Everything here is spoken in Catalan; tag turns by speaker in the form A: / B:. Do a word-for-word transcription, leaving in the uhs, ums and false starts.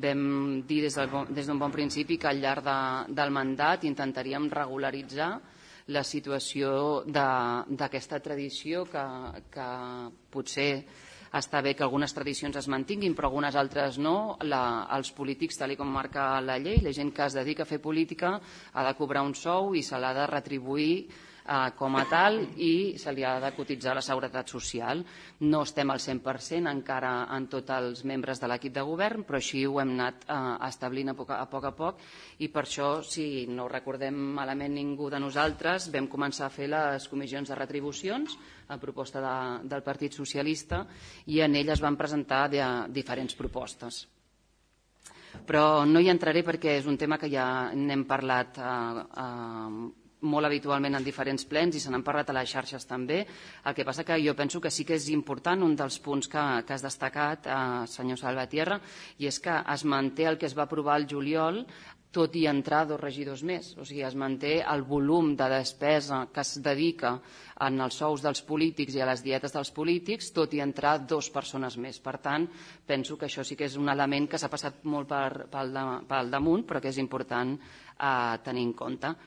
A: vam dir des d'un bon principi que al llarg del mandat intentaríem regularitzar la situació d'aquesta tradició que potser està bé que algunes tradicions es mantinguin però algunes altres no. Els polítics, tal com marca la llei, la gent que es dedica a fer política ha de cobrar un sou i se l'ha de retribuir com a tal i se li ha de cotitzar a la Seguretat Social. No estem al cent per cent encara en tots els membres de l'equip de govern, però així ho hem anat establint a poc a poc i per això, si no ho recordem malament ningú de nosaltres, vam començar a fer les comissions de retribucions a proposta del Partit Socialista i en elles van presentar diferents propostes. Però no hi entraré perquè és un tema que ja n'hem parlat molt habitualment en diferents plens i se n'han parlat a les xarxes també. El que passa que jo penso que sí que és important un dels punts que has destacat, senyor Salvatierra, i és que es manté el que es va aprovar el juliol tot i entrar dos regidors més. O sigui, es manté el volum de despesa que es dedica en els sous dels polítics i a les dietes dels polítics, tot i entrar dues persones més. Per tant, penso que això sí que és un element que s'ha passat molt pel damunt, però que és important tenir en compte.